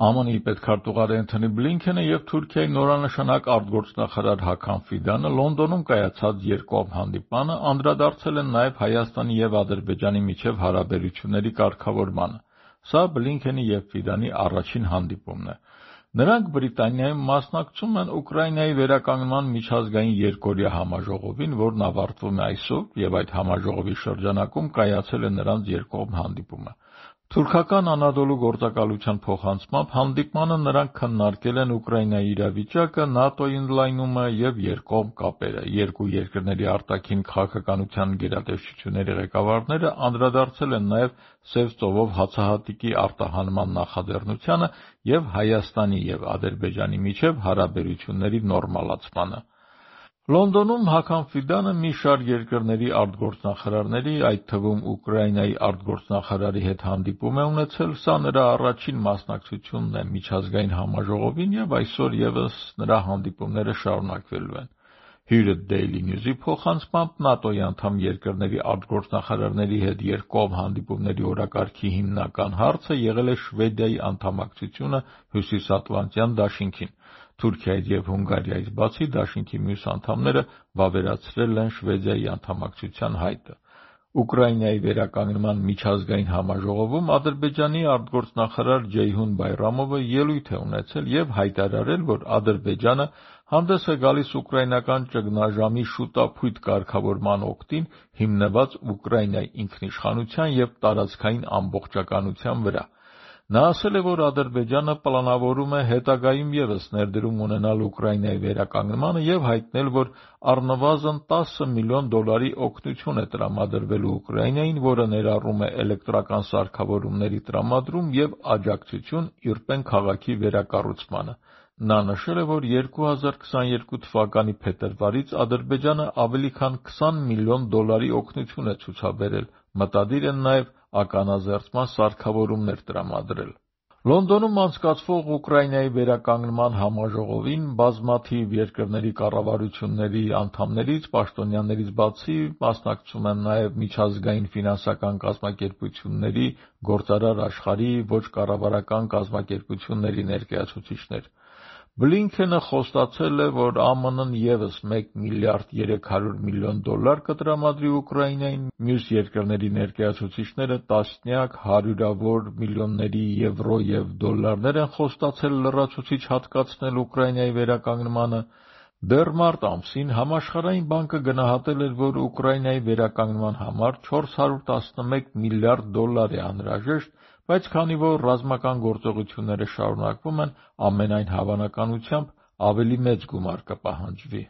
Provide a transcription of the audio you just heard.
ԱՄՆ-ի պետքարտուղար Էնթոնի Բլինքենը և Թուրքիայի նորանշանակ արտգործնախարար Հական Ֆիդանը Լոնդոնում կայացած երկկողմ հանդիպմանը անդրադարձել են նաև Հայաստանի և Ադրբեջանի միջև հարաբերությունների կարգավորմանը։ Սա Բլինքենի և Ֆիդանի առաջին հանդիպումն է։ Նրանք Բրիտանիայում մասնակցում են Ուկրաինայի վերականգնման միջազգային երկօրյա համաժողովին, որն ավարտվում է այսօր, և այդ համաժողովի շրջանակում կայացել է նրանց երկկողմ հանդիպումը։ Թուրքական Անադոլու գործակալության փոխանցմամբ հանդիպմանը նրանք քննարկել են Ուկրաինայի իրավիճակը, ՆԱՏՕ-ի ընդլայնումը և երկկողմ կապերը։ Երկու երկրների արտաքին քաղաքականության գերատեսչությունների ղեկավարները անդրադարձել են նաև Սև ծովով հացահատիկի արտահանման նախաձեռնությանը և Հայաստանի և Ադրբեջանի միջև հարաբերությունների նորմալացմանը։ Լոնդոնում Հական Ֆիդանը մի շարք երկրների արտգործնախարարների, այդ թվում Ուկրաինայի արտգործնախարարի հետ հանդիպում է ունեցել։ Սա նրա առաջին մասնակցությունն է միջազգային համաժողովին և այսօր ևս նրա հանդիպումները շարունակվելու են։ Հյուրը Daily News-ի փոխանցմամբ ՆԱՏՕ-ի անդամ երկրների արտգործնախարարների հետ երկկողմ հանդիպումների օրակարգի հիմնական հարցը եղել է Շվեդիայի անդամակցությունը Հյուսիսատլանտյան դաշինքին։ Թուրքիայից և Հունգարիայից բացի դաշինքի մյուս անդամները վավերացրել են Շվեդիայի անդամակցության հայտը։ Ուկրաինայի վերականգնման միջազգային համաժողովում Ադրբեջանի արտգործնախարար Ջեյհուն Բայրամովը ելույթ է ունեցել և հայտարարել, որ Ադրբեջանը հանդես է գալիս ուկրաինական ճգնաժամի շուտափույթ կարգավորման օգտին, հիմնված Ուկրաինայի ինքնիշխանության և տարածքային ամբողջականության վրա։ Նա ասել է, որ Ադրբեջանը պլանավորում է հետագայում ևս ներդրում ունենալ Ուկրաինայի վերականգնմանը և հայտնել, որ առնվազն $10 միլիոն օգնություն է տրամադրվելու Ուկրաինային, որը ներառում է էլեկտրական սարքավորումների տրամադրում և աջակցություն Իրպեն քաղաքի վերակառուցմանը։ Նա նշել է, որ 2022 թվականի փետրվարից Ադրբեջանը ավելի քան $20 միլիոն օգնություն է ցուցաբերել, մտադիր են նաև ականազերծման սարքավորումներ տրամադրել։ Լոնդոնում անցկացվող Ուկրաինայի վերականգնման համաժողովին բազմաթիվ երկրների կառավարությունների անդամներից, պաշտոնյաներից բացի մասնակցում են նաև միջազգային ֆինանսական կազմակերպությունների, գործարար աշխարհի, ոչ կառավարական կազմակերպությունների ներկայացուցիչներ։ Բլինքենը խոստացել է, որ ԱՄՆ-ն ևս $1 միլիարդ 300 միլիոն կտրամադրի Ուկրաինային, մյուս երկրների ներկայացուցիչները տասնյակ, հարյուրավոր միլիոնների եվրո և դոլարներ են խոստացել լրացուցիչ հատկացնել Ուկրաինայի վերականգնմանը։ Դեռ մարտ ամսին Համաշխարհային բանկը գնահատել էր, որ Ուկրաինայի վերականգնման համար $411 միլիարդ է անհրաժեշտ, բայց քանի որ ռազմական գործողությունները շարունակվում են, ամենայն հավանականությամբ ավելի մեծ գումար կպահանջվի։